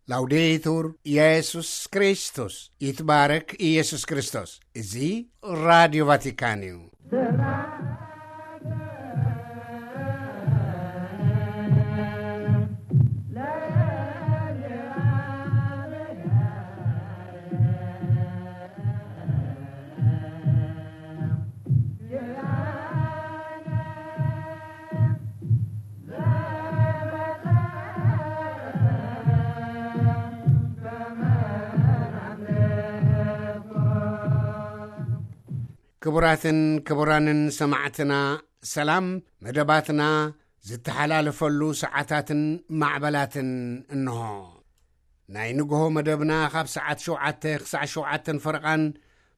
ላውዴቱር ኢየሱስ ክርስቶስ፣ ይትባረክ ኢየሱስ ክርስቶስ። እዚ ራዲዮ ቫቲካን እዩ። ክቡራትን ክቡራንን ሰማዕትና፣ ሰላም። መደባትና ዝተሓላለፈሉ ሰዓታትን ማዕበላትን እንሆ። ናይ ንግሆ መደብና ካብ ሰዓት ሸውዓተ ክሳዕ ሸውዓተን ፈረቓን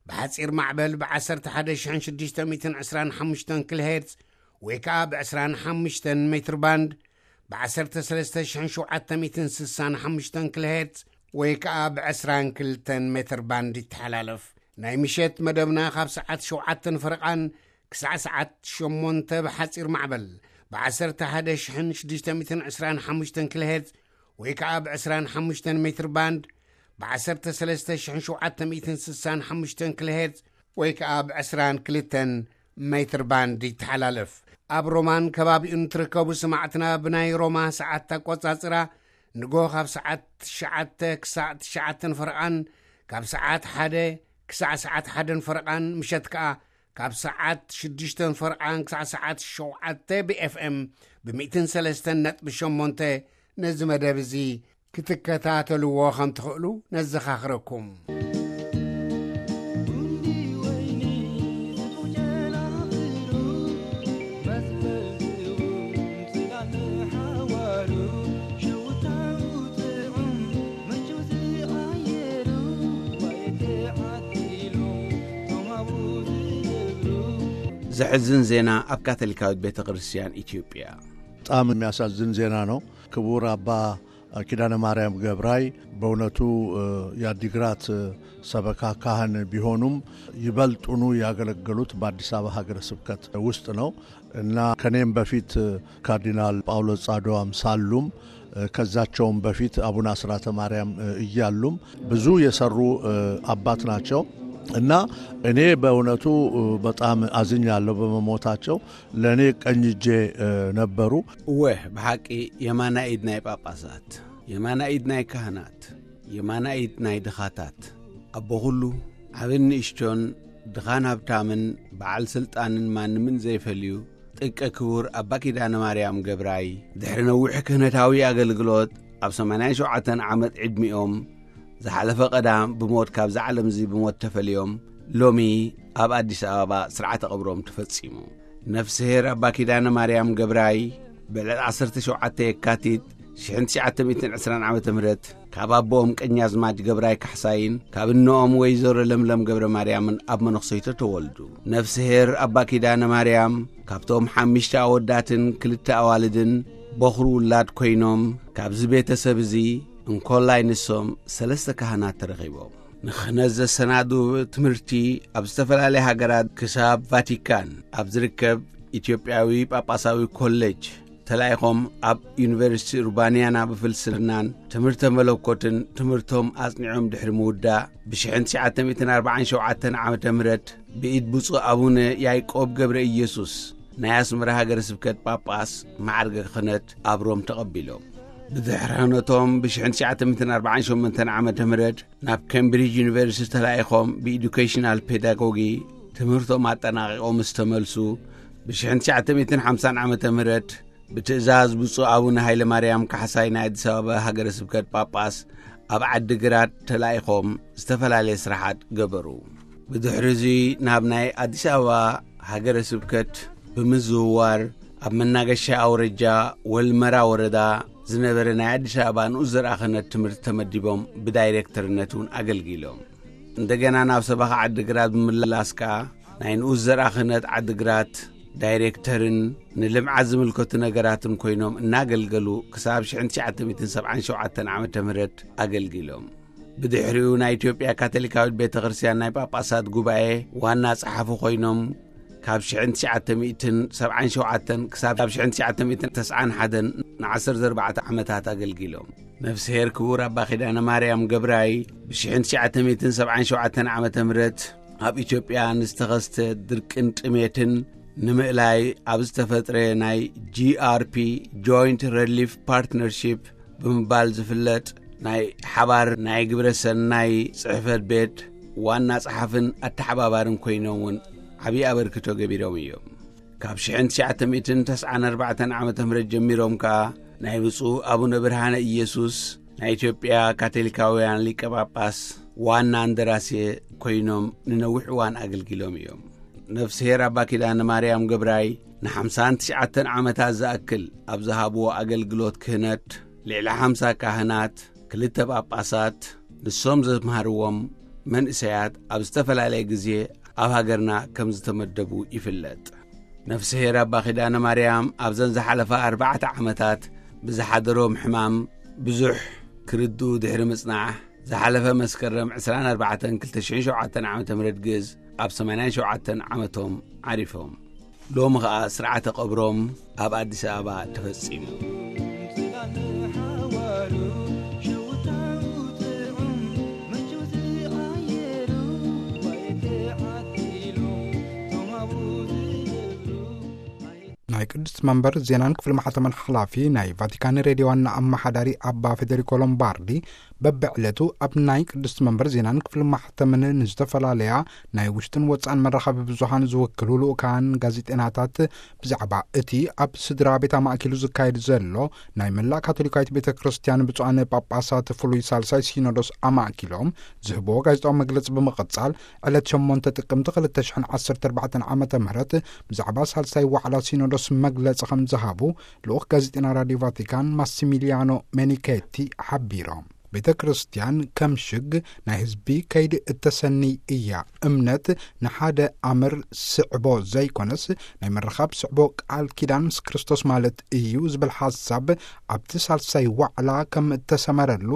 ብሓጺር ማዕበል ብ11,625 ኪሎ ሄርትዝ ወይ ከኣ ብ25 ሜትር ባንድ ብ ዓሰርተ ሰለስተ ሽሕን ሸውዓተ ሚእትን ስሳን ሓሙሽተን ኪሎ ሄርትዝ ወይ ከኣ ብ ዕስራን ክልተን ሜትር ባንድ ይተሓላለፍ። ናይ ምሸት መደብና ካብ ሰዓት ሸውዓተን ፈረቓን ክሳዕ ሰዓት ሸሞንተ ብሓጺር ማዕበል ብ11,625 ኪሎ ሄርትዝ ወይ ከኣ ብ ዕስራን ሓሙሽተን ሜትር ባንድ ብ13,765 ኪሎ ሄርትዝ ወይ ከኣ ብ ዕስራን ክልተን ሜትር ባንድ ይተሓላለፍ። ኣብ ሮማን ከባቢኡን ትርከቡ ሰማዕትና፣ ብናይ ሮማ ሰዓት ኣቆጻጽራ ንጎ ካብ ሰዓት ትሽዓተ ክሳዕ ትሽዓተን ፈረቓን፣ ካብ ሰዓት ሓደ ክሳዕ ሰዓት ሓደን ፈረቓን፣ ምሸት ከኣ ካብ ሰዓት ሽዱሽተን ፈረቓን ክሳዕ ሰዓት ሸውዓተ ብ ኤፍ ኤም ብ ሚእትን ሰለስተን ነጥቢ ሸሞንተ ነዚ መደብ እዚ ክትከታተልዎ ከም ትኽእሉ ነዘኻኽረኩም። ዘሕዝን ዜና ኣብ ካቶሊካዊት ቤተ ክርስቲያን ኢትዮጵያ። በጣም የሚያሳዝን ዜና ነው። ክቡር አባ ኪዳነ ማርያም ገብራይ በእውነቱ፣ እ፣ የአዲግራት፣ እ፣ ሰበካ ካህን ቢሆኑም ይበልጡኑ ያገለገሉት በአዲስ አበባ ሀገረ ስብከት ውስጥ ነው እና ከኔም በፊት፣ እ፣ ካርዲናል ጳውሎስ ጻድዋም ሳሉም፣ እ፣ ከዛቸውም በፊት አቡነ አስራተ ማርያም፣ እ፣ እያሉም ብዙ የሰሩ፣ እ፣ አባት ናቸው እና እኔ በእውነቱ፣ እ፣ በጣም አዝኛለሁ በመሞታቸው። ለእኔ ቀኝ እጄ፣ እ፣ ነበሩ። እወ፣ ብሓቂ የማናይ ኢድ ናይ ጳጳሳት፣ የማናይ ኢድ ናይ ካህናት፣ የማናይ ኢድ ናይ ድኻታት፣ ኣቦ ኹሉ፣ ዓብን ንእሽቶን፣ ድኻን ሃብታምን፣ በዓል ስልጣንን ማንምን ዘይፈልዩ፣ ጥቀ ክቡር ኣባ ኪዳነ ማርያም ገብራይ፣ ድሕሪ ነዊሕ ክህነታዊ ኣገልግሎት፣ ኣብ ሰማንያን ሸውዓተን ዓመት ዕድሚኦም፣ ዝሓለፈ ቀዳም ብሞት ካብዛ ዓለም እዚ ብሞት ተፈልዮም፣ ሎሚ ኣብ ኣዲስ ኣበባ ስርዓተ ቀብሮም ተፈጺሙ። ነፍስሄር ኣባ ኪዳነ ማርያም ገብራይ፣ ብዕለት ዓሰርተ ሸውዓተ የካቲት ሽሕን ትሽዓተ ሚእትን ዕስራን ዓመተ ምህረት፣ ካብ ኣቦኦም ቀኛዝማች ገብራይ ካሕሳይን ካብ እኖኦም ወይዘሮ ለምለም ገብረ ማርያምን ኣብ መነኩሰይቶ ተወልዱ። ነፍስሄር ኣባ ኪዳነ ማርያም፣ ካብቶም ሓሙሽተ ኣወዳትን ክልተ ኣዋልድን በኹሪ ውላድ ኮይኖም፣ ካብዚ ቤተሰብ እዚ እንኮላይ ንሶም ሰለስተ ካህናት ተረኺቦም። ንክህነት ዘሰናድኡ ትምህርቲ ኣብ ዝተፈላለያ ሃገራት ክሳብ ቫቲካን ኣብ ዝርከብ ኢትዮጵያዊ ጳጳሳዊ ኮሌጅ ተላኢኾም፣ ኣብ ዩኒቨርሲቲ ኡርባንያና ብፍልስፍናን ትምህርተ መለኮትን ትምህርቶም ኣጽኒዖም ድሕሪ ምውዳእ፣ ብሽሕን ትሽዓተ ሚእትን ኣርባዓን ሸውዓተን ዓመተ ምህረት ብኢድ ብፁዕ ኣቡነ ያዕቆብ ገብረ ኢየሱስ ናይ ኣስመራ ሃገረ ስብከት ጳጳስ ማዕርገ ክህነት ኣብ ሮም ተቐቢሎም። ብድሕሪ ክህነቶም ብሽሕን ትሽዓተ ሚእትን ኣርባዓን ሸሞንተን ዓመተ ምህረት ናብ ኬምብሪጅ ዩኒቨርሲቲ ተላኢኾም ብኤዱኬሽናል ፔዳጎጊ ትምህርቶም ኣጠናቒቖም ምስ ተመልሱ፣ ብሽሕን ትሽዓተ ሚእትን ሓምሳን ዓመተ ምህረት ብትእዛዝ ብፁዕ ኣቡነ ሃይለ ማርያም ካሕሳይ ናይ ኣዲስ ኣበባ ሃገረ ስብከት ጳጳስ ኣብ ዓዲግራት ተላኢኾም ዝተፈላለየ ስራሓት ገበሩ። ብድሕሪ እዚ ናብ ናይ ኣዲስ ኣበባ ሃገረ ስብከት ብምዝውዋር ኣብ መናገሻ ኣውረጃ ወልመራ ወረዳ ዝነበረ ናይ ኣዲስ ኣበባ ንኡስ ዘርኣ ክህነት ትምህርቲ ተመዲቦም ብዳይሬክተርነት እውን ኣገልጊሎም። እንደገና ናብ ሰበኻ ዓዲግራት ብምምላስ ከኣ ናይ ንኡስ ዘርኣ ክህነት ዓዲግራት ዳይሬክተርን ንልምዓት ዝምልከቱ ነገራትን ኮይኖም እናገልገሉ ክሳብ ሽሕን ትሽዓተ ሚእትን ሰብዓን ሸውዓተን ዓመተ ምህረት ኣገልጊሎም። ብድሕሪኡ ናይ ኢትዮጵያ ካቶሊካዊት ቤተ ክርስቲያን ናይ ጳጳሳት ጉባኤ ዋና ጸሓፊ ኮይኖም ካብ ሽሕን ትሽዓተ ሚእትን ሰብዓን ሸውዓተን ክሳብ ሽሕን ትሽዓተ ሚእትን ተስዓን ሓደን ንዓሰርተ ኣርባዕተ ዓመታት ኣገልጊሎም። ነፍስሄር ክቡር ኣባ ኪዳነ ማርያም ገብራይ ብሽሕን ትሽዓተ ሚእትን ሰብዓን ሸውዓተን ዓመተ ምህረት ኣብ ኢትዮጵያ ንዝተኸስተ ድርቅን ጥሜትን ንምእላይ ኣብ ዝተፈጥረ ናይ ጂ ኣር ፒ፣ ጆይንት ረሊፍ ፓርትነርሺፕ ብምባል ዝፍለጥ ናይ ሓባር ናይ ግብረ ሰናይ ጽሕፈት ቤት ዋና ጸሓፍን ኣተሓባባርን ኮይኖም እውን ዓብዪ ኣበርክቶ ገቢሮም እዮም። ካብ ሽሕን ትሽዓተ ሚእትን ተስዓን ኣርባዕተን ዓመተ ምህረት ጀሚሮም ከኣ ናይ ብፁዕ ኣቡነ ብርሃነ ኢየሱስ ናይ ኢትዮጵያ ካቶሊካውያን ሊቀ ጳጳስ ዋና እንደራሴ ኮይኖም ንነዊሕ እዋን ኣገልጊሎም እዮም። ነፍስሄር ኣባ ኪዳነ ማርያም ገብራይ ንሓምሳን ትሽዓተን ዓመታት ዝኣክል ኣብ ዝሃብዎ ኣገልግሎት ክህነት፣ ልዕሊ ሓምሳ ካህናት፣ ክልተ ጳጳሳት፣ ንሶም ዘምሃርዎም መንእሰያት ኣብ ዝተፈላለየ ግዜ ኣብ ሃገርና ከም ዝተመደቡ ይፍለጥ። ነፍስሄር ኣባ ኪዳነ ማርያም ኣብዘን ዝሓለፋ ኣርባዕተ ዓመታት ብዝሓደሮም ሕማም ብዙሕ ክርድኡ ድሕሪ ምጽናሕ፣ ዝሓለፈ መስከረም ዕስራን ኣርባዕተን ክልተ ሽሕን ሸውዓተን ዓመተ ምህረት ግእዝ ኣብ ሰማንያን ሸውዓተን ዓመቶም ዓሪፎም። ሎሚ ኸኣ ስርዓተ ቀብሮም ኣብ ኣዲስ ኣበባ ተፈጺሙ። ናይ ቅድስት መንበር ዜናን ክፍሊ ማሕተመን ሓላፊ ናይ ቫቲካን ሬድዮ ዋና ኣመሓዳሪ ኣባ ፌደሪኮ ሎምባርዲ፣ በብዕለቱ ኣብ ናይ ቅድስት መንበር ዜናን ክፍሊ ማሕተምን ንዝተፈላለያ ናይ ውሽጥን ወጻእን መራኸቢ ብዙሃን ዝውክሉ ልኡካን ጋዜጠናታት ብዛዕባ እቲ ኣብ ስድራ ቤት ኣማእኪሉ ዝካየድ ዘሎ ናይ መላእ ካቶሊካዊት ቤተ ክርስቲያን ብፁዓን ጳጳሳት ፍሉይ ሳልሳይ ሲኖዶስ ኣማእኪሎም ዝህብዎ ጋዜጣዊ መግለጺ ብምቕጻል፣ ዕለት ሸሞንተ ጥቅምቲ ክልተ ሽሕን ዓሰርተ ኣርባዕተን ዓመተ ምህረት ብዛዕባ ሳልሳይ ዋዕላ ሲኖዶስ መግለጺ ከም ዝሃቡ ልኡኽ ጋዜጠና ራድዮ ቫቲካን ማሲሚሊያኖ ሜኒኬቲ ሓቢሮም። ቤተ ክርስቲያን ከም ሽግ ናይ ህዝቢ ከይዲ እተሰኒ እያ። እምነት ንሓደ ኣምር ስዕቦ ዘይኮነስ ናይ ምርኻብ ስዕቦ ቃል ኪዳን ምስ ክርስቶስ ማለት እዩ ዝብል ሓሳብ ኣብቲ ሳልሳይ ዋዕላ ከም እተሰመረሉ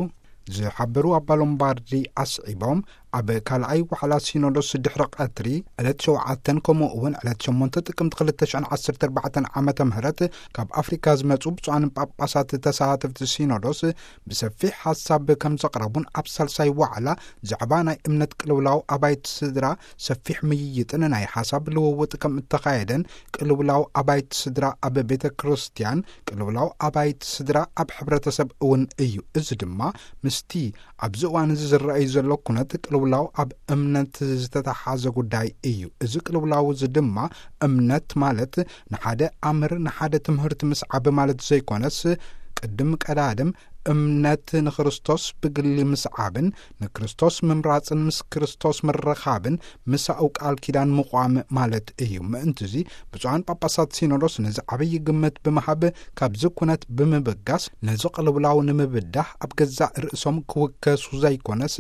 ዝሓበሩ ኣባ ሎምባርዲ ኣስዒቦም፣ ኣብ ካልኣይ ዋዕላ ሲኖዶስ ድሕሪ ቀትሪ ዕለት ሸውዓተን ከምኡ እውን ዕለት ሸሞንተ ጥቅምቲ ክልተ ሽሕን ዓሰርተ ኣርባዕተን ዓመተ ምህረት ካብ ኣፍሪካ ዝመጹ ብፁዓን ጳጳሳት ተሳተፍቲ ሲኖዶስ ብሰፊሕ ሓሳብ ከም ዘቕረቡን ኣብ ሳልሳይ ዋዕላ ዛዕባ ናይ እምነት ቅልውላው ኣባይቲ ስድራ ሰፊሕ ምይይጥን ናይ ሓሳብ ልውውጥ ከም እተኻየደን፣ ቅልውላው ኣባይቲ ስድራ ኣብ ቤተ ክርስቲያን ቅልውላው ኣባይቲ ስድራ ኣብ ሕብረተሰብ እውን እዩ። እዚ ድማ ምስቲ ኣብዚ እዋን እዚ ዝረኣዩ ዘሎ ኩነት ቅልውላው ኣብ እምነት ዝተተሓዘ ጉዳይ እዩ። እዚ ቅልውላው እዚ ድማ እምነት ማለት ንሓደ ኣምር፣ ንሓደ ትምህርቲ ምስዓብ ማለት ዘይኮነስ፣ ቅድም ቀዳድም እምነት ንክርስቶስ ብግሊ ምስዓብን ንክርስቶስ ምምራጽን ምስ ክርስቶስ ምርኻብን ምሳኡ ቃል ኪዳን ምቋም ማለት እዩ። ምእንትዚ ብፁዓን ጳጳሳት ሲኖዶስ ነዚ ዓብዪ ግምት ብምሃብ ካብዚ ኩነት ብምብጋስ ነዚ ቅልውላው ንምብዳህ ኣብ ገዛእ ርእሶም ክውከሱ ዘይኮነስ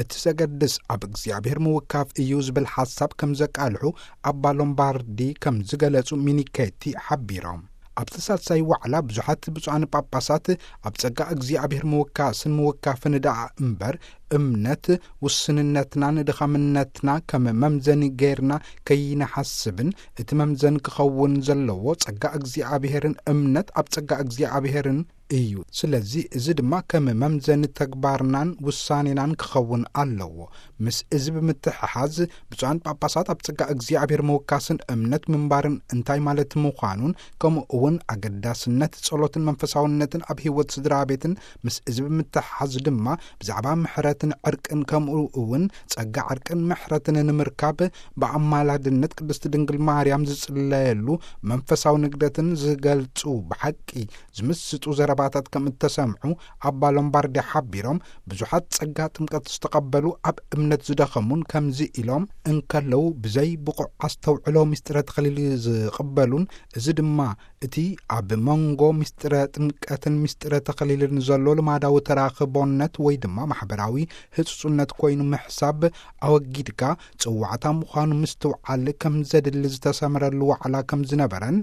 እቲ ዘገድስ ኣብ እግዚኣብሔር ምውካፍ እዩ ዝብል ሓሳብ ከም ዘቃልሑ ኣባ ሎምባርዲ ከም ዝገለጹ ሚኒኬቲ ሓቢሮም። ኣብቲ ሳልሳይ ዋዕላ ብዙሓት ብፁዓን ጳጳሳት ኣብ ጸጋ እግዚኣብሔር ምውካስን ምውካፍን ደኣ እምበር እምነት ውስንነትናን ድኻምነትና ከም መምዘኒ ገይርና ከይንሓስብን እቲ መምዘኒ ክኸውን ዘለዎ ጸጋ እግዚኣብሔርን እምነት ኣብ ጸጋ እግዚኣብሔርን እዩ። ስለዚ እዚ ድማ ከም መምዘኒ ተግባርናን ውሳኔናን ክኸውን ኣለዎ። ምስ እዚ ብምትሕሓዝ ብፁዓን ጳጳሳት ኣብ ጸጋ እግዚኣብሔር ምውካስን እምነት ምንባርን እንታይ ማለት ምዃኑን ከምኡ እውን ኣገዳስነት ጸሎትን መንፈሳውነትን ኣብ ህይወት ስድራ ቤትን ምስ እዚ ብምትሕሓዝ ድማ ብዛዕባ ምሕረትን ዕርቅን ከምኡ እውን ጸጋ ዕርቅን ምሕረትን ንምርካብ ብኣማላድነት ቅድስቲ ድንግል ማርያም ዝጽለየሉ መንፈሳዊ ንግደትን ዝገልጹ ብሓቂ ዝምስጡ ዘረባታት ከም እተሰምዑ ኣባ ሎምባርዲ ሓቢሮም፣ ብዙሓት ጸጋ ጥምቀት ዝተቐበሉ ኣብ እምነት ዝደኸሙን ከምዚ ኢሎም እንከለዉ ብዘይ ብቑዕ ኣስተውዕሎ ምስጢረ ተኸሊል ዝቕበሉን፣ እዚ ድማ እቲ ኣብ መንጎ ምስጢረ ጥምቀትን ምስጢረ ተኸሊልን ዘሎ ልማዳዊ ተራኽቦነት ወይ ድማ ማሕበራዊ ህጹጽነት ኮይኑ ምሕሳብ ኣወጊድካ ጽዋዕታ ምዃኑ ምስትውዓል ከም ዘድሊ ዝተሰምረሉ ዋዕላ ከም ዝነበረን፣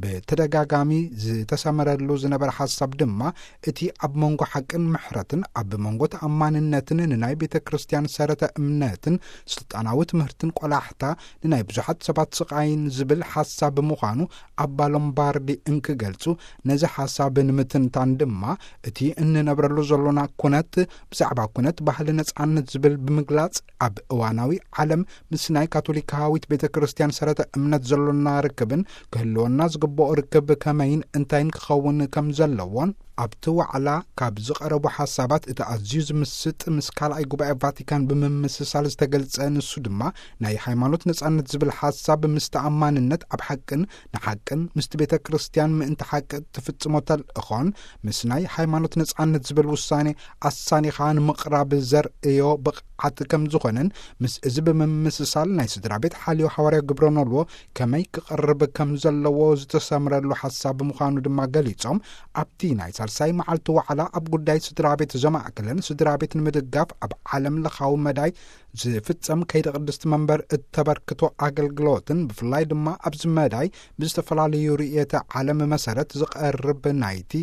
ብተደጋጋሚ ዝተሰመረሉ ዝነበረ ሓሳብ ድማ፣ እቲ ኣብ መንጎ ሓቅን ምሕረትን፣ ኣብ መንጎ ተኣማንነትን ንናይ ቤተ ክርስቲያን ሰረተ እምነትን ስልጣናዊ ትምህርትን ቆላሕታ ንናይ ብዙሓት ሰባት ስቓይን ዝብል ሓሳብ ብምዃኑ፣ ኣባ ሎምባርዲ እንክገልጹ፣ ነዚ ሓሳብ ንምትንታን ድማ፣ እቲ እንነብረሉ ዘሎና ኩነት፣ ብዛዕባ ኩነት ባህሊ ነጻነት ዝብል ብምግላጽ፣ ኣብ እዋናዊ ዓለም ምስ ናይ ካቶሊካዊት ቤተ ክርስቲያን ሰረተ እምነት ዘሎና ርክብን ክህልወና ዝግብኦ ርክብ ከመይን እንታይን ክኸውን ከም ዘለዎን ኣብቲ ዋዕላ ካብ ዝቐረቡ ሓሳባት እቲ ኣዝዩ ዝምስጥ ምስ ካልኣይ ጉባኤ ቫቲካን ብምምስሳል ዝተገልጸ ንሱ ድማ ናይ ሃይማኖት ነጻነት ዝብል ሓሳብ ምስ ተኣማንነት ኣብ ሓቅን ንሓቅን ምስቲ ቤተ ክርስቲያን ምእንቲ ሓቂ ትፍጽሞ ተልእኾን ምስ ናይ ሃይማኖት ነጻነት ዝብል ውሳኔ ኣሳኒኻ ንምቕራብ ዘርእዮ ብቕዓት ከም ዝኾነን ምስ እዚ ብምምስሳል ናይ ስድራ ቤት ሓልዮ ሃዋርያ ግብረ ኖልዎ ከመይ ክቐርብ ከም ዘለዎ ዝተሰምረሉ ሓሳብ ብምዃኑ ድማ ገሊጾም፣ ኣብቲ ናይ ሳልሳይ መዓልቲ ዋዕላ ኣብ ጉዳይ ስድራ ቤት ዘማእከለን ስድራ ቤት ንምድጋፍ ኣብ ዓለም ለኻዊ መዳይ ዝፍጸም ከይዲ ቅድስቲ መንበር እተበርክቶ ኣገልግሎትን ብፍላይ ድማ ኣብዚ መዳይ ብዝተፈላለዩ ርእየተ ዓለም መሰረት ዝቐርብ ናይቲ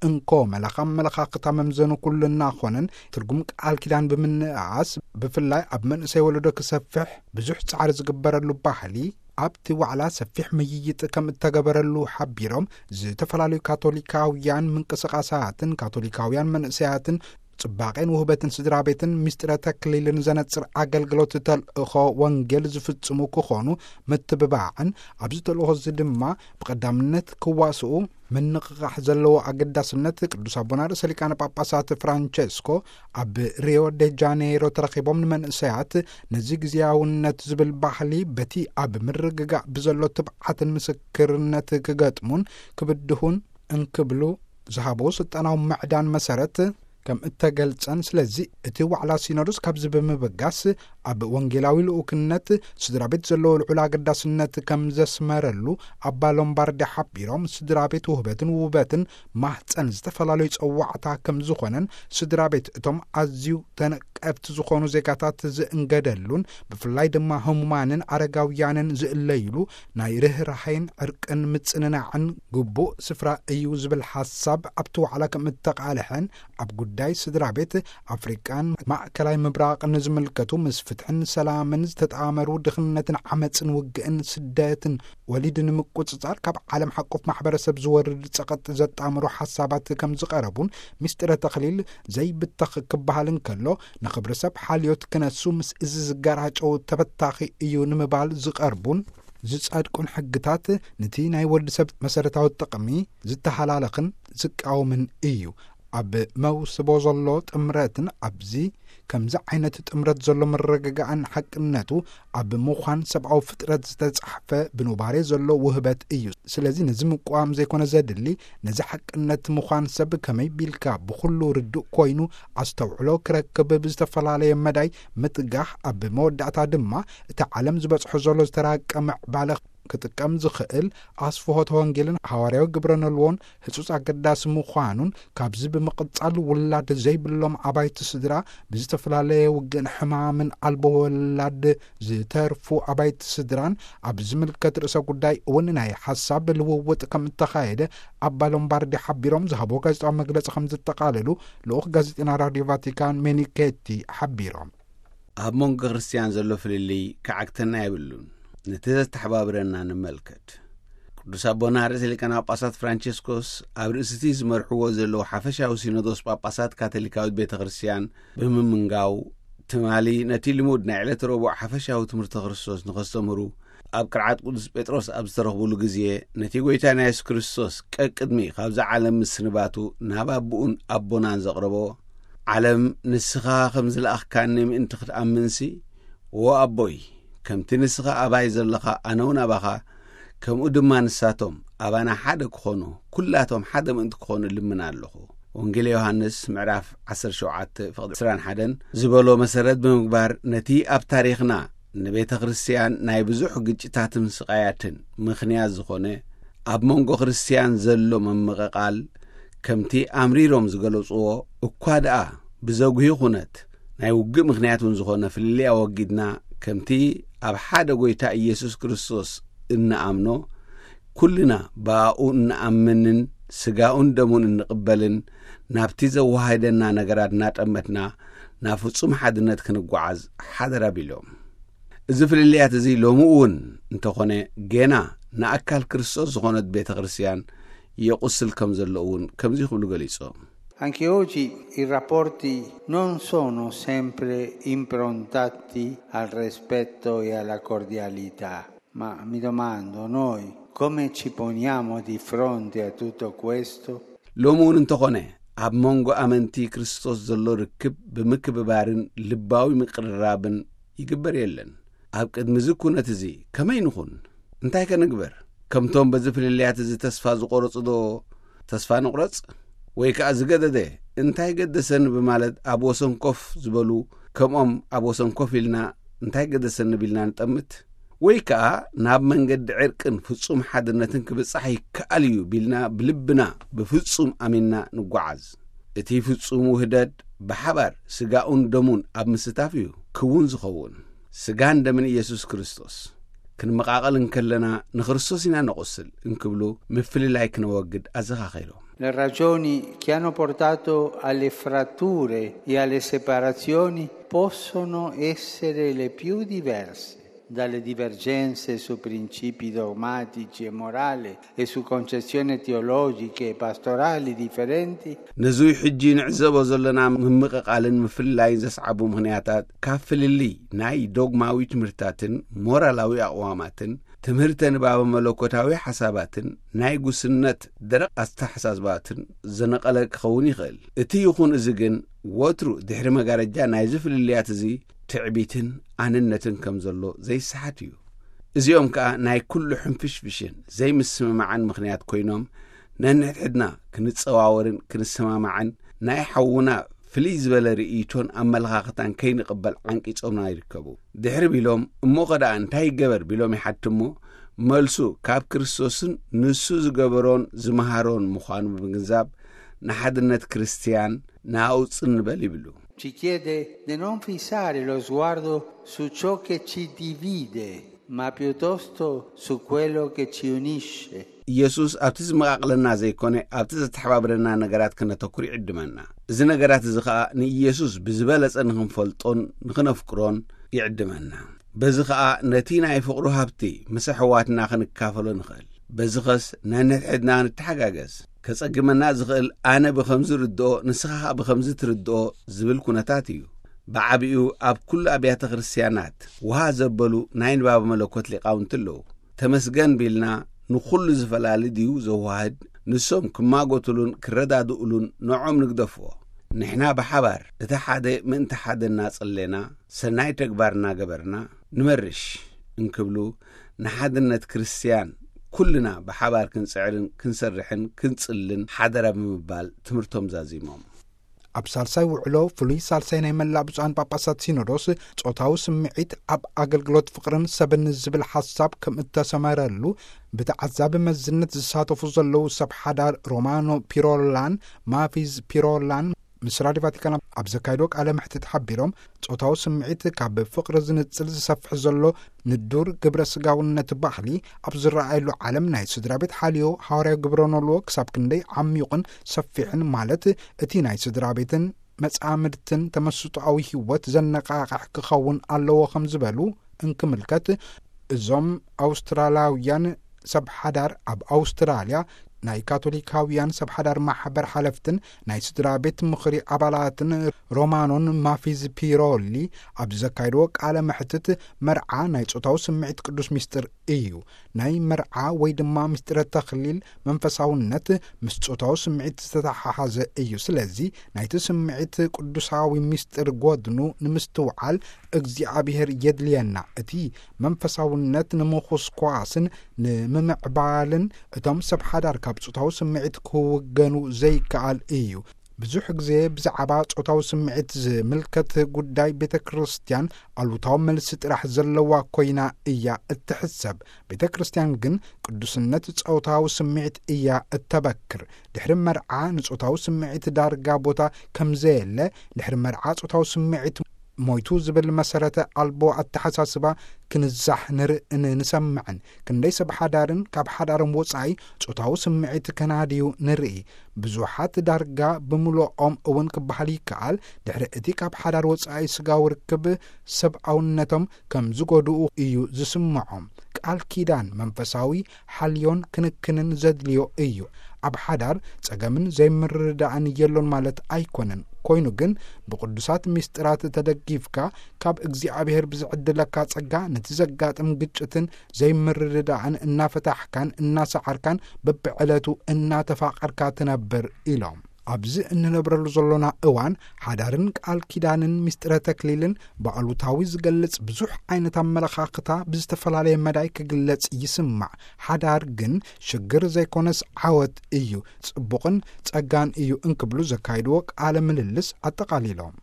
እንኮ መለኻ መለኻኽታ መምዘኑ ኩልና ኾነን ትርጉም ቃል ኪዳን ብምንእኣስ ብፍላይ ኣብ መንእሰይ ወለዶ ክሰፍሕ ብዙሕ ጻዕሪ ዝግበረሉ ባህሊ ኣብቲ ዋዕላ ሰፊሕ ምይይጥ ከም እተገበረሉ ሓቢሮም፣ ዝተፈላለዩ ካቶሊካውያን ምንቅስቓሳትን ካቶሊካውያን መንእሰያትን ጽባቄን ውህበትን ስድራ ቤትን ምስጢረ ተክሊልን ዘነጽር ኣገልግሎት ተልእኾ ወንጌል ዝፍጽሙ ክኾኑ ምትብባዕን ኣብዚ ተልእኾ እዚ ድማ ብቐዳምነት ክዋስኡ ምንቕቓሕ ዘለዎ ኣገዳስነት ቅዱስ ኣቦና ርእሰ ሊቃነ ጳጳሳት ፍራንቸስኮ ኣብ ሪዮ ደ ጃኔይሮ ተረኺቦም ንመንእሰያት ነዚ ግዜያውነት ዝብል ባህሊ በቲ ኣብ ምርግጋእ ብዘሎ ትብዓትን ምስክርነት ክገጥሙን ክብድሁን እንክብሉ ዝሃቦ ስልጣናዊ ምዕዳን መሰረት ከም እተገልጸን፣ ስለዚ እቲ ዋዕላ ሲኖዶስ ካብዚ ብምብጋስ ኣብ ወንጌላዊ ልኡክነት ስድራ ቤት ዘለዎ ልዑል ኣገዳስነት ከም ዘስመረሉ ኣባ ሎምባርዲ ሓቢሮም፣ ስድራ ቤት ውህበትን ውበትን ማህፀን ዝተፈላለዩ ጸዋዕታ ከም ዝኾነን ስድራ ቤት እቶም ኣዝዩ ተነቀፍቲ ዝኾኑ ዜጋታት ዝእንገደሉን ብፍላይ ድማ ህሙማንን ኣረጋውያንን ዝእለይሉ ናይ ርህራሄን ዕርቅን ምጽንናዕን ግቡእ ስፍራ እዩ ዝብል ሓሳብ ኣብቲ ዋዕላ ከም እተቃልሐን ኣብ ጉዳይ ስድራ ቤት ኣፍሪቃን ማእከላይ ምብራቕን ዝምልከቱ ምስ ፍትሕን ሰላምን ዝተጣመሩ ድኽነትን ዓመፅን ውግእን ስደትን ወሊድ ንምቁፅፃር ካብ ዓለም ሓቆፍ ማሕበረሰብ ዝወርድ ፀቐጥ ዘጣምሩ ሓሳባት ከም ዝቐረቡን ምስጢረ ተኽሊል ዘይብተኽ ክበሃል እንከሎ ንኽብሪ ሰብ ሓልዮት ክነሱ ምስ እዚ ዝገራጨው ተበታኺ እዩ ንምባል ዝቐርቡን ዝጸድቁን ሕግታት ነቲ ናይ ወዲ ሰብ መሰረታዊ ጥቕሚ ዝተሃላለኽን ዝቃወምን እዩ። ኣብ መውስቦ ዘሎ ጥምረትን ኣብዚ ከምዚ ዓይነት ጥምረት ዘሎ ምርግጋእን ሓቅነቱ ኣብ ምዃን ሰብኣዊ ፍጥረት ዝተጻሕፈ ብኑባሬ ዘሎ ውህበት እዩ። ስለዚ ነዚ ምቋም ዘይኮነ ዘድሊ፣ ነዚ ሓቅነት ምዃን ሰብ ከመይ ቢልካ ብኹሉ ርዱእ ኮይኑ ኣስተውዕሎ ክረክብ ብዝተፈላለየ መዳይ ምጥጋሕ፣ ኣብ መወዳእታ ድማ እቲ ዓለም ዝበጽሖ ዘሎ ዝተራቀ ምዕባለ ክጥቀም ዝኽእል ኣስፍሆተ ወንጌልን ሃዋርያዊ ግብረ ነልዎን ህጹጽ ኣገዳሲ ምዃኑን፣ ካብዚ ብምቕጻል ውላድ ዘይብሎም ኣባይቲ ስድራ ብዝተፈላለየ ውግእን ሕማምን ኣልቦ ወላድ ዝተርፉ ኣባይቲ ስድራን ኣብ ዝምልከት ርእሰ ጉዳይ እውን ናይ ሓሳብ ልውውጥ ከም እተኻየደ ኣባ ሎምባርዲ ሓቢሮም ዝሃቦ ጋዜጣዊ መግለጺ ከም ዘጠቓለሉ ልኡኽ ጋዜጠና ራድዮ ቫቲካን ሜኒኬቲ ሓቢሮም። ኣብ መንጎ ክርስትያን ዘሎ ፍልልይ ክዓግተና የብሉን። ነቲ ዘተሓባብረና ንመልከት። ቅዱስ ኣቦና ርእሰ ሊቃነ ጳጳሳት ፍራንቸስኮስ ኣብ ርእሲ እቲ ዝመርሕዎ ዘለዉ ሓፈሻዊ ሲኖዶስ ጳጳሳት ካቶሊካዊት ቤተ ክርስትያን ብምምንጋው፣ ትማሊ ነቲ ልሙድ ናይ ዕለተ ረቡዕ ሓፈሻዊ ትምህርቲ ክርስቶስ ንኸስተምህሩ ኣብ ቅርዓት ቅዱስ ጴጥሮስ ኣብ ዝተረኽቡሉ ግዜ፣ ነቲ ጐይታና የሱስ ክርስቶስ ቀቅድሚ ካብዛ ዓለም ምስንባቱ ናብ ኣቦኡን ኣቦናን ዘቕረቦ፣ ዓለም ንስኻ ከም ዝለኣኽካኒ ምእንቲ ክትኣምንሲ፣ ዎ ኣቦይ፣ ከምቲ ንስኻ ኣባይ ዘለኻ ኣነ እውን ኣባኻ፣ ከምኡ ድማ ንሳቶም ኣባና ሓደ ክኾኑ፣ ኩላቶም ሓደ ምእንቲ ክኾኑ እልምን ኣለኹ። ወንጌል ዮሃንስ ምዕራፍ ዓሰርተ ሸውዓተ ፍቕዲ ዕስራን ሓደን ዝበሎ መሰረት ብምግባር፣ ነቲ ኣብ ታሪኽና ንቤተ ክርስትያን ናይ ብዙሕ ግጭታትን ስቓያትን ምኽንያት ዝኾነ ኣብ መንጎ ክርስትያን ዘሎ ምምቕቓል፣ ከምቲ ኣምሪሮም ዝገለጽዎ፣ እኳ ደኣ ብዘጉሂ ኩነት ናይ ውግእ ምኽንያት እውን ዝኾነ ፍልልይ ኣወጊድና፣ ከምቲ ኣብ ሓደ ጐይታ ኢየሱስ ክርስቶስ እንኣምኖ፣ ኩልና ብኣኡ እንኣምንን ስጋኡን ደሙን እንቕበልን ናብቲ ዘወሃደና ነገራት እናጠመትና ናብ ፍጹም ሓድነት ክንጓዓዝ ሓደራ ቢሎም። እዚ ፍልልያት እዚ ሎሚ እውን እንተኾነ ጌና ንኣካል ክርስቶስ ዝኾነት ቤተ ክርስቲያን የቑስል ከም ዘሎ እውን ከምዚ ክብሉ ገሊጾም። Anche oggi i rapporti non sono sempre improntati al rispetto e alla cordialità, ma mi domando noi come ci poniamo di fronte a tutto questo? ሎሚ እውን እንተኾነ ኣብ መንጎ ኣመንቲ ክርስቶስ ዘሎ ርክብ ብምክብባርን ልባዊ ምቅርራብን ይግበር የለን። ኣብ ቅድሚ እዚ ኩነት እዚ ከመይ ንኹን? እንታይ ከንግበር? ከምቶም በዚ ፍልልያት እዚ ተስፋ ዝቆረጹ ዶ ተስፋ ንቑረጽ? ወይ ከኣ ዝገደደ እንታይ ገደሰኒ ብማለት ኣብ ወሰን ኮፍ ዝበሉ፣ ከምኦም ኣብ ወሰን ኮፍ ኢልና እንታይ ገደሰኒ ቢልና ንጠምት? ወይ ከኣ ናብ መንገዲ ዕርቅን ፍጹም ሓድነትን ክብጻሕ ይከኣል እዩ ቢልና ብልብና ብፍጹም ኣሚንና ንጓዓዝ። እቲ ፍጹም ውህደት ብሓባር ስጋኡን ደሙን ኣብ ምስታፍ እዩ ክውን ዝኸውን። ስጋን ደምን ኢየሱስ ክርስቶስ። ክንመቓቐል እንከለና ንክርስቶስ ኢና ነቑስል እንክብሉ ምፍልላይ ክነወግድ ኣዘኻኺሮም። Le ragioni che hanno portato alle fratture e alle separazioni possono essere le più diverse, dalle divergenze su principi dogmatici e morali e su concezioni teologiche e pastorali differenti. ነዙይ ሕጂ ንዕዘቦ ዘለና ምምቕቓልን ምፍልላይን ዘስዓቡ ምኽንያታት ካብ ፍልልይ ናይ ዶግማዊ ትምህርትታትን ሞራላዊ ኣቕዋማትን ትምህርተ ንባበ መለኮታዊ ሓሳባትን ናይ ጉስነት ደረቕ ኣተሓሳስባትን ዘነቐለ ክኸውን ይኽእል። እቲ ይኹን እዚ ግን ወትሩ ድሕሪ መጋረጃ ናይዚ ፍልልያት እዚ ትዕቢትን ኣንነትን ከም ዘሎ ዘይሰሓት እዩ። እዚኦም ከኣ ናይ ኩሉ ሕንፍሽፍሽን ዘይምስምማዕን ምኽንያት ኮይኖም ነንሕድሕድና ክንጸዋወርን ክንሰማማዕን ናይ ሓውና ፍልይ ዝበለ ርእይቶን ኣመለኻኽታን ከይንቕበል ዓንቂጾምና ይርከቡ። ድሕሪ ቢሎም እሞ ኸ ደኣ እንታይ ይገበር ቢሎም ይሓትሞ፣ መልሱ ካብ ክርስቶስን ንሱ ዝገበሮን ዝመሃሮን ምዃኑ ብምግንዛብ ንሓድነት ክርስትያን ንኣውጽእ ንበል ይብሉ። Ci chiede di non fissare lo sguardo su ciò che ci divide, ma piuttosto su quello che ci unisce. ኢየሱስ ኣብቲ ዝመቓቕለና ዘይኮነ ኣብቲ ዘተሓባብረና ነገራት ክነተኩር ይዕድመና። እዚ ነገራት እዚ ኸኣ ንኢየሱስ ብዝበለጸ ንኽንፈልጦን ንኽነፍቅሮን ይዕድመና። በዚ ኸኣ ነቲ ናይ ፍቕሩ ሃብቲ ምስ ኣሕዋትና ክንካፈሎ ንኽእል። በዚ ኸስ ነንሕድሕድና ንተሓጋገዝ። ከጸግመና ዝኽእል ኣነ ብኸምዚ ርድኦ ንስኻ ኸኣ ብኸምዚ ትርድኦ ዝብል ኩነታት እዩ። ብዓቢኡ ኣብ ኩሉ ኣብያተ ክርስትያናት ውሃ ዘበሉ ናይ ንባብ መለኮት ሊቃውንቲ ኣለዉ። ተመስገን ቢልና ንኹሉ ዝፈላሊ ድዩ ዘዋህድ? ንሶም ክማጎትሉን ክረዳድኡሉን ንዖም ንግደፎ። ንሕና ብሓባር እቲ ሓደ ምእንቲ ሓደ እናጸሌና ሰናይ ተግባር እናገበርና ንመርሽ እንክብሉ ንሓድነት ክርስትያን ኩልና ብሓባር ክንጽዕርን ክንሰርሕን ክንጽልን ሓደራ ብምባል ትምህርቶም ዛዚሞም። ኣብ ሳልሳይ ውዕሎ ፍሉይ ሳልሳይ ናይ መላእ ብፁዓን ጳጳሳት ሲኖዶስ ጾታዊ ስምዒት ኣብ ኣገልግሎት ፍቕርን ሰብን ዝብል ሓሳብ ከም እተሰመረሉ ብተዓዛቢ መዝነት ዝሳተፉ ዘለዉ ሰብ ሓዳር ሮማኖ ፒሮላን ማፊዝ ፒሮላን ምስ ራድዮ ቫቲካን ኣብ ዘካየድዎ ቃለ መሕትት ሓቢሮም ጾታዊ ስምዒት ካብ ፍቕሪ ዝንጽል ዝሰፍሕ ዘሎ ንዱር ግብረ ስጋውነት ባህሊ ኣብ ዝረኣየሉ ዓለም ናይ ስድራ ቤት ሓልዮ ሃዋርያዊ ግብረ ኖልዎ ክሳብ ክንደይ ዓሚቑን ሰፊሕን ማለት እቲ ናይ ስድራ ቤትን መጻምድትን ተመስጦኣዊ ህይወት ዘነቓቕሕ ክኸውን ኣለዎ ከም ዝበሉ እንክምልከት እዞም ኣውስትራላውያን ሰብ ሓዳር ኣብ ኣውስትራልያ ናይ ካቶሊካውያን ሰብ ሓዳር ማሕበር ሓለፍትን ናይ ስድራ ቤት ምኽሪ ኣባላትን ሮማኖን ማፊዝ ፒሮሊ ኣብ ዘካየድዎ ቃለ መሕትት መርዓ ናይ ጾታዊ ስምዒት ቅዱስ ሚስጥር እዩ። ናይ መርዓ ወይ ድማ ምስጢረ ተኽሊል መንፈሳውነት ምስ ጾታዊ ስምዒት ዝተተሓሓዘ እዩ። ስለዚ ናይቲ ስምዒት ቅዱሳዊ ምስጢር ጎድኑ ንምስትውዓል እግዚኣብሔር የድልየና። እቲ መንፈሳውነት ንምኹስኳስን ንምምዕባልን እቶም ሰብ ሓዳር ካብ ጾታዊ ስምዒት ክውገኑ ዘይከኣል እዩ። ብዙሕ ግዜ ብዛዕባ ጾታዊ ስምዒት ዝምልከት ጉዳይ ቤተ ክርስትያን ኣሉታዊ መልሲ ጥራሕ ዘለዋ ኮይና እያ እትሕሰብ። ቤተ ክርስትያን ግን ቅዱስነት ጾታዊ ስምዒት እያ እተበክር። ድሕሪ መርዓ ንጾታዊ ስምዒት ዳርጋ ቦታ ከም ዘየለ፣ ድሕሪ መርዓ ጾታዊ ስምዒት ሞይቱ ዝብል መሰረተ ኣልቦ ኣተሓሳስባ ክንዛሕ ንርእን ንሰምዕን። ክንደይ ሰብ ሓዳርን ካብ ሓዳሮም ወጻኢ ጾታዊ ስምዒት ከናድዩ ንርኢ። ብዙሓት ዳርጋ ብምሉኦም እውን ክበሃል ይከኣል፣ ድሕሪ እቲ ካብ ሓዳር ወጻኢ ስጋዊ ርክብ ሰብኣውነቶም ከም ዝጎድኡ እዩ ዝስምዖም። ቃል ኪዳን መንፈሳዊ ሓልዮን ክንክንን ዘድልዮ እዩ። ኣብ ሓዳር ጸገምን ዘይምርድዳእን የሎን ማለት ኣይኮነን። ኮይኑ ግን ብቅዱሳት ምስጢራት ተደጊፍካ ካብ እግዚኣብሔር ብዝዕድለካ ጸጋ ነቲ ዘጋጥም ግጭትን ዘይምርድዳእን እናፈታሕካን እናሰዓርካን በብዕለቱ እናተፋቐርካ ትነብር ኢሎም። ኣብዚ እንነብረሉ ዘሎና እዋን ሓዳርን ቃል ኪዳንን ምስጢረ ተክሊልን ብኣሉታዊ ዝገልጽ ብዙሕ ዓይነት ኣመለኻኽታ ብዝተፈላለየ መዳይ ክግለጽ ይስማዕ። ሓዳር ግን ሽግር ዘይኮነስ ዓወት እዩ፣ ጽቡቕን ጸጋን እዩ እንክብሉ ዘካይድዎ ቃለ ምልልስ ኣጠቓሊሎም።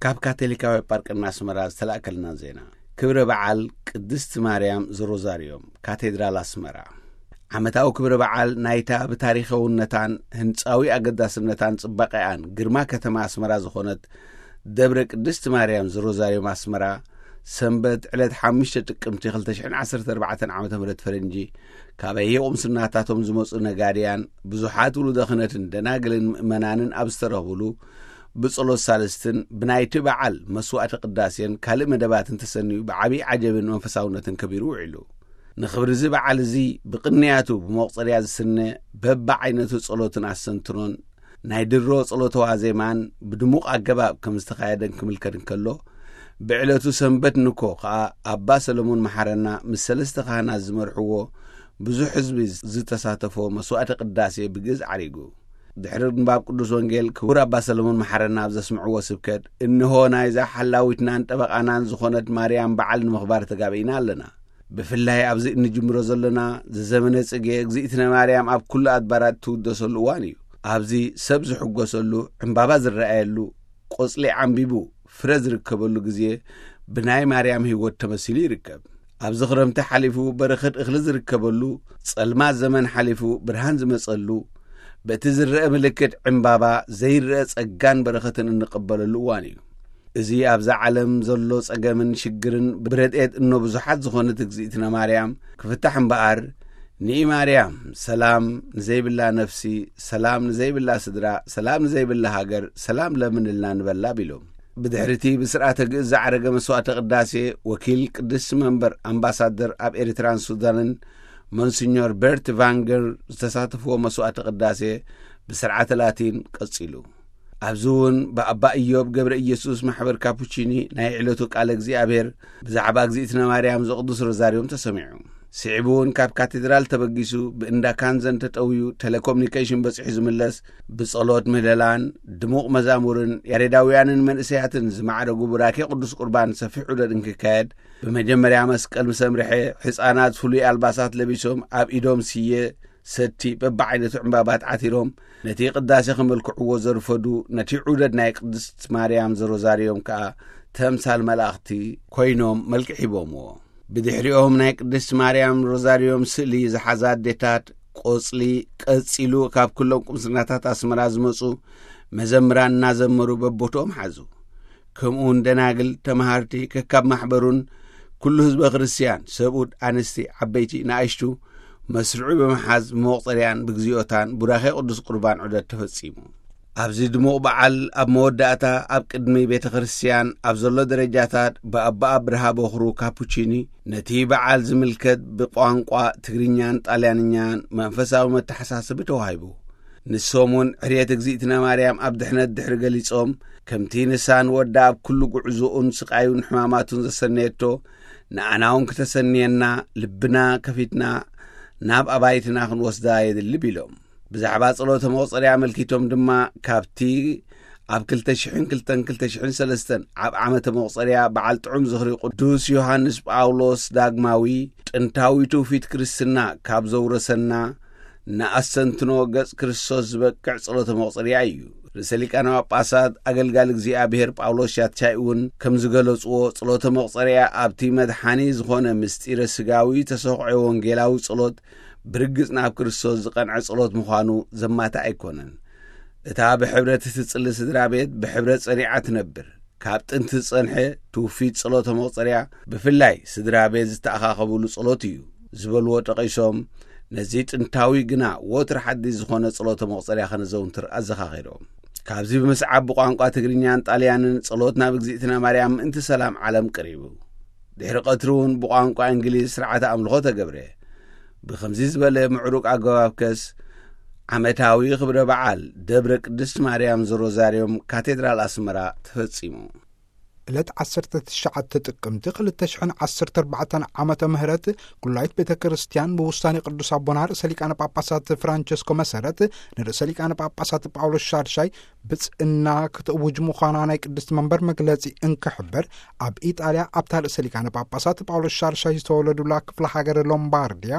ካብ ካቶሊካዊ ጳርቅና ኣስመራ ዝተላእከልና ዜና። ክብረ በዓል ቅድስቲ ማርያም ዘሮዛርዮም፣ ካቴድራል ኣስመራ። ዓመታዊ ክብረ በዓል ናይታ ብታሪኻውነታን ህንጻዊ ኣገዳስነታን ጽባቐኣን ግርማ ከተማ ኣስመራ ዝኾነት ደብረ ቅድስቲ ማርያም ዘሮዛርዮም ኣስመራ፣ ሰንበት ዕለት ሓሙሽተ ጥቅምቲ ክልተ ሽሕን ዓሰርተ ኣርባዕተን ዓመተ ምህረት ፈረንጂ፣ ካበየ ቁምስናታቶም ዝመጹ ነጋድያን ብዙሓት ውሉደ ክህነትን ደናግልን ምእመናንን ኣብ ዝተረኽብሉ፣ ብጸሎት ሳልስትን ብናይቲ በዓል መስዋዕተ ቅዳሴን ካልእ መደባትን ተሰንዩ ብዓብዪ ዓጀብን መንፈሳውነትን ከቢሩ ውዒሉ። ንኽብሪ እዚ በዓል እዚ ብቕንያቱ ብመቑጸርያ ዝስነ በብዓይነቱ ጸሎትን ኣስተንትኖን ናይ ድሮ ጸሎተ ዋዜማን ብድሙቕ ኣገባብ ከም ዝተኻየደን ክምልከት እንከሎ፣ ብዕለቱ ሰንበት ንኮ ኸኣ ኣባ ሰለሞን መሓረና ምስ ሰለስተ ካህናት ዝመርሕዎ ብዙሕ ህዝቢ ዝተሳተፎ መስዋዕተ ቅዳሴ ብግእዝ ዓሪጉ። ድሕሪ ምንባብ ቅዱስ ወንጌል ክቡር ኣባ ሰለሞን መሓረና ኣብ ዘስምዕዎ ስብከት፣ እንሆ ናይዛ ሓላዊትናን ጠበቓናን ዝኾነት ማርያም በዓል ንምኽባር ተጋቢእና ኣለና። ብፍላይ ኣብዚ እንጅምሮ ዘለና ዘዘመነ ጽጌ፣ እግዚእትነ ማርያም ኣብ ኩሉ ኣድባራት ትውደሰሉ እዋን እዩ። ኣብዚ ሰብ ዝሕጎሰሉ፣ ዕምባባ ዝረኣየሉ፣ ቆጽሊ ዓምቢቡ ፍረ ዝርከበሉ ግዜ ብናይ ማርያም ህይወት ተመሲሉ ይርከብ። ኣብዚ ክረምቲ ሓሊፉ በረኸት እኽሊ ዝርከበሉ፣ ጸልማት ዘመን ሓሊፉ ብርሃን ዝመጸሉ፣ በቲ ዝረአ ምልክት ዕምባባ ዘይረአ ጸጋን በረኸትን እንቕበለሉ እዋን እዩ። እዚ ኣብዛ ዓለም ዘሎ ጸገምን ሽግርን ብረድኤት እኖ ብዙሓት ዝኾነት እግዚእትነ ማርያም ክፍታሕ እምበኣር፣ ንኢ ማርያም፣ ሰላም ንዘይብላ ነፍሲ፣ ሰላም ንዘይብላ ስድራ፣ ሰላም ንዘይብላ ሃገር፣ ሰላም ለምንልና ንበላ ቢሎም። ብድሕሪቲ ብስርዓተ ግእዝ ዝዓረገ መስዋዕተ ቅዳሴ፣ ወኪል ቅድስቲ መንበር ኣምባሳደር ኣብ ኤርትራን ሱዳንን ሞንሲኞር በርት ቫንገር ዝተሳተፍዎ መስዋዕተ ቅዳሴ ብስርዓተ ላቲን ቀጺሉ። ኣብዚ እውን ብኣባ ኢዮብ ገብረ ኢየሱስ ማሕበር ካፑቺኒ ናይ ዕለቱ ቃለ እግዚኣብሔር ብዛዕባ እግዚእትነ ማርያም ዘቕዱስ ሮዛርዮም ተሰሚዑ። ስዒቡ እውን ካብ ካቴድራል ተበጊሱ ብእንዳ ካንዘን ተጠውዩ ቴሌኮሙኒኬሽን በጺሑ ዝምለስ፣ ብጸሎት ምህለላን ድሙቕ መዛሙርን ያሬዳውያንን መንእሰያትን ዝማዕረጉ ቡራኬ ቅዱስ ቁርባን ሰፊሕ ዑደት እንክካየድ፣ ብመጀመርያ መስቀል ምስ ኣምርሐ፣ ሕፃናት ፍሉይ ኣልባሳት ለቢሶም ኣብ ኢዶም ስየ፣ ሰቲ፣ በብዓይነቱ ዕምባባት ዓቲሮም ነቲ ቅዳሴ ከመልክዕዎ ዘርፈዱ፣ ነቲ ዑደት ናይ ቅድስት ማርያም ዘሮዛርዮም ከኣ ተምሳል መላእኽቲ ኮይኖም መልክዕ ሂቦምዎ። ብድሕሪኦም ናይ ቅድስት ማርያም ሮዛርዮም ስእሊ ዝሓዛ ኣዴታት ቆጽሊ ቀጺሉ ካብ ኩሎም ቁምስናታት ኣስመራ ዝመጹ መዘምራን እናዘመሩ በቦትኦም ሓዙ። ከምኡውን ደናግል፣ ተመሃርቲ፣ ከካብ ማሕበሩን ኩሉ ህዝበ ክርስትያን፣ ሰብኡት፣ ኣንስቲ፣ ዓበይቲ፣ ንኣሽቱ፣ መስርዑ ብምሓዝ ብመቑጸርያን ብግዚኦታን ቡራኼ ቅዱስ ቁርባን ዑደት ተፈጺሙ። ኣብዚ ድሙቕ በዓል ኣብ መወዳእታ ኣብ ቅድሚ ቤተ ክርስትያን ኣብ ዘሎ ደረጃታት ብኣባ ኣብርሃ በኹሩ ካፑቺኒ ነቲ በዓል ዝምልከት ብቋንቋ ትግርኛን ጣልያንኛን መንፈሳዊ መተሓሳስቢ ተዋሂቡ። ንሶም እውን ዕርየት እግዚእትነ ማርያም ኣብ ድሕነት ድሕሪ ገሊጾም፣ ከምቲ ንሳ ንወዳ ኣብ ኩሉ ጉዕዞኡን ስቓዩን ሕማማቱን ዘሰነየቶ፣ ንኣና እውን ክተሰንየና፣ ልብና ከፊትና ናብ ኣባይትና ክንወስዳ የድሊ ቢሎም። ብዛዕባ ጸሎተ መቑጸርያ ኣመልኪቶም ድማ፣ ካብቲ ኣብ ክልተ ሽሕን ክልተን ክልተ ሽሕን ሰለስተን ኣብ ዓመተ መቑጸርያ በዓል ጥዑም ዝኽሪ ቅዱስ ዮሃንስ ጳውሎስ ዳግማዊ ጥንታዊ ትውፊት ክርስትና ካብ ዘውረሰና ንኣስተንትኖ ገጽ ክርስቶስ ዝበቅዕ ጸሎተ መቑጸርያ እዩ። ርእሰ ሊቃነ ጳጳሳት ኣገልጋሊ እግዚኣብሔር ጳውሎስ ሻትሻይ እውን ከም ዝገለጽዎ፣ ጸሎተ መቑጸርያ ኣብቲ መድሓኒ ዝኾነ ምስጢረ ስጋዊ ተሰኽዖ ወንጌላዊ ጸሎት ብርግጽ ናብ ክርስቶስ ዝቐንዐ ጸሎት ምዃኑ ዘማትእ ኣይኮነን። እታ ብሕብረት እትጽሊ ስድራ ቤት ብሕብረት ጸኒዓ ትነብር። ካብ ጥንቲ ዝጸንሐ ትውፊት ጸሎተ መቑጸርያ፣ ብፍላይ ስድራ ቤት ዝተኣኻኸብሉ ጸሎት እዩ ዝበልዎ ጠቒሶም፣ ነዚ ጥንታዊ ግና ወትሩ ሓድሽ ዝኾነ ጸሎተ መቑጸርያ ከነዘውትር ኣዘኻኺሮም። ካብዚ ብምስዓብ ብቋንቋ ትግርኛን ጣልያንን ጸሎት ናብ እግዚኣብሔር ማርያም ምእንቲ ሰላም ዓለም ቀሪቡ። ድሕሪ ቀትሪ እውን ብቋንቋ እንግሊዝ ስርዓተ ኣምልኾ ተገብረ። ብኸምዚ ዝበለ ምዕሩግ ኣገባብ ከስ ዓመታዊ ክብረ በዓል ደብረ ቅድስት ማርያም ዘሮዛርዮም ካቴድራል ኣስመራ ተፈጺሙ። ዕለት ዓሰርተ ትሽዓተ ጥቅምቲ ክልተ ሽሕን ዓሰርተ ኣርባዕተን ዓመተ ምህረት ኩላይት ቤተ ክርስቲያን ብውሳኔ ቅዱስ ኣቦና ርእሰ ሊቃነ ጳጳሳት ፍራንቸስኮ መሰረት ንርእሰ ሊቃነ ጳጳሳት ጳውሎስ ሻድሻይ ብጽእና ክትእውጅ ምዃና ናይ ቅድስቲ መንበር መግለጺ እንክሕብር፣ ኣብ ኢጣልያ ኣብታ ርእሰ ሊቃነ ጳጳሳት ጳውሎስ ሻድሻይ ዝተወለዱላ ክፍለ ሃገር ሎምባርድያ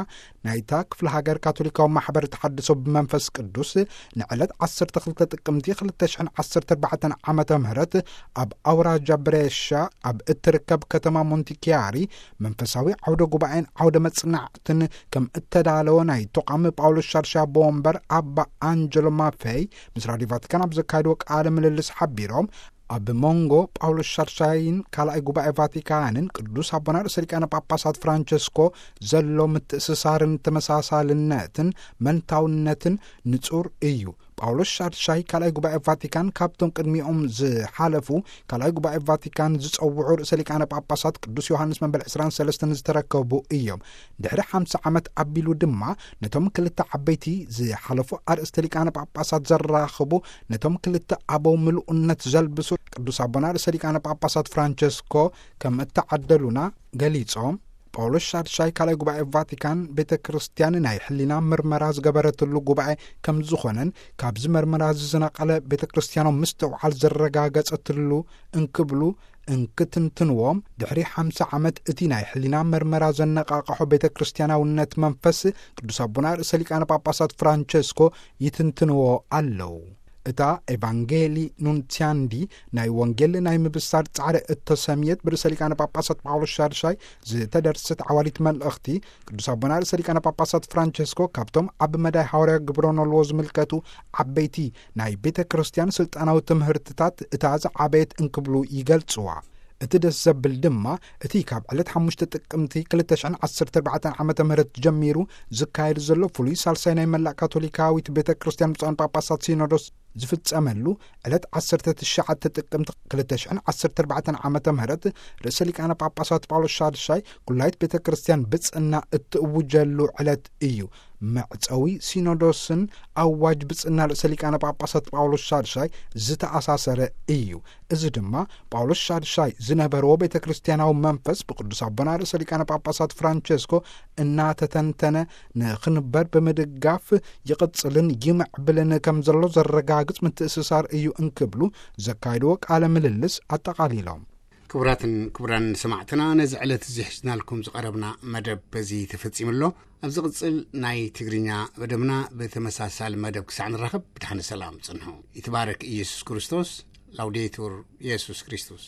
ናይታ ክፍለ ሃገር ካቶሊካዊ ማሕበር ተሓድሶ ብመንፈስ ቅዱስ ንዕለት ዓሰርተ ክልተ ጥቅምቲ ክልተ ሽሕን ዓሰርተ ኣርባዕተን ዓመተ ምህረት ኣብ ኣውራጃ ብሬሻ ኣብ እትርከብ ከተማ ሞንቲኪያሪ መንፈሳዊ ዓውደ ጉባኤን ዓውደ መጽናዕትን ከም እተዳለወ ናይ ተቋም ጳውሎስ ሻድሻይ ኣቦ ወንበር ኣባ ኣንጀሎ ማፌይ ምስ ራድዮ ቫቲካን ኣብ ዘካየድዎ ቃለ ምልልስ ሓቢሮም፣ ኣብ መንጎ ጳውሎስ ሻድሻይን ካልኣይ ጉባኤ ቫቲካንን ቅዱስ ኣቦና ርእሰ ሊቃነ ጳጳሳት ፍራንቸስኮ ዘሎ ምትእስሳርን ተመሳሳልነትን መንታውነትን ንጹር እዩ። ጳውሎስ ሻድሻይ ካልኣይ ጉባኤ ቫቲካን ካብቶም ቅድሚኦም ዝሓለፉ ካልኣይ ጉባኤ ቫቲካን ዝጸውዑ ርእሰ ሊቃነ ጳጳሳት ቅዱስ ዮሃንስ መበል ዕስራን ሰለስተን ዝተረከቡ እዮም። ድሕሪ ሓምሳ ዓመት ኣቢሉ ድማ ነቶም ክልተ ዓበይቲ ዝሓለፉ ኣርእስተ ሊቃነ ጳጳሳት ዘራኽቡ፣ ነቶም ክልተ ኣበው ምሉእነት ዘልብሱ ቅዱስ ኣቦና ርእሰ ሊቃነ ጳጳሳት ፍራንቸስኮ ከም እተዓደሉና ገሊጾም፣ ጳውሎስ ሻድሻይ ካልኣይ ጉባኤ ቫቲካን ቤተ ክርስቲያን ናይ ሕሊና ምርመራ ዝገበረትሉ ጉባኤ ከም ዝኾነን ካብዚ ምርመራ እዚ ዝነቐለ ቤተ ክርስቲያኖም ምስትውዓል ዘረጋገጸትሉ እንክብሉ እንክትንትንዎም፣ ድሕሪ ሓምሳ ዓመት እቲ ናይ ሕሊና ምርመራ ዘነቓቕሖ ቤተ ክርስቲያናውነት መንፈስ ቅዱስ ኣቦና ርእሰ ሊቃነ ጳጳሳት ፍራንቸስኮ ይትንትንዎ ኣለዉ። እታ ኤቫንጌሊ ኑንሲያንዲ ናይ ወንጌል ናይ ምብሳር ጻዕሪ እተሰምየት ብርእሰ ሊቃነ ጳጳሳት ጳውሎስ ሻድሻይ ዝተደርሰት ዓዋሊት መልእኽቲ፣ ቅዱስ ኣቦና ርእሰ ሊቃነ ጳጳሳት ፍራንቸስኮ ካብቶም ኣብ መዳይ ሃዋርያ ግብረ ኖልዎ ዝምልከቱ ዓበይቲ ናይ ቤተ ክርስቲያን ስልጣናዊ ትምህርትታት እታ ዝዓበየት እንክብሉ ይገልጽዋ። እቲ ደስ ዘብል ድማ፣ እቲ ካብ ዕለት ሓሙሽተ ጥቅምቲ ክልተ ሽሕን ዓሰርተ ኣርባዕተን ዓመተ ምህረት ጀሚሩ ዝካየድ ዘሎ ፍሉይ ሳልሳይ ናይ መላእ ካቶሊካዊት ቤተ ክርስቲያን ብፁዓን ጳጳሳት ሲኖዶስ ዝፍጸመሉ፣ ዕለት ዓሰርተ ትሽዓተ ጥቅምቲ ክልተ ሽሕን ዓሰርተ ኣርባዕተን ዓመተ ምህረት ርእሰ ሊቃነ ጳጳሳት ጳውሎስ ሻድሻይ ኩላይት ቤተ ክርስቲያን ብጽና እትእውጀሉ ዕለት እዩ። መዕጸዊ ሲኖዶስን ኣዋጅ ብጽና ርእሰ ሊቃነ ጳጳሳት ጳውሎስ ሻድሻይ ዝተኣሳሰረ እዩ። እዚ ድማ ጳውሎስ ሻድሻይ ዝነበርዎ ቤተ ክርስቲያናዊ መንፈስ ብቅዱስ ኣቦና ርእሰ ሊቃነ ጳጳሳት ፍራንቸስኮ እናተተንተነ ንኽንበር ብምድጋፍ ይቕጽልን ይምዕብልን ከም ዘሎ ዘረጋግጽ ምትእስሳር እዩ እንክብሉ ዘካየድዎ ቃለ ምልልስ ኣጠቓሊሎም። ክቡራትን ክቡራን ሰማዕትና፣ ነዚ ዕለት እዚ ሒዝናልኩም ዝቐረብና መደብ በዚ ተፈጺሙ ኣሎ። ኣብ ዝቕጽል ናይ ትግርኛ መደብና ብተመሳሳሊ መደብ ክሳዕ ንራኸብ ብድሓን ሰላም ጽንሑ። ይትባረክ ኢየሱስ ክርስቶስ። ላውዴቱር ኢየሱስ ክርስቶስ።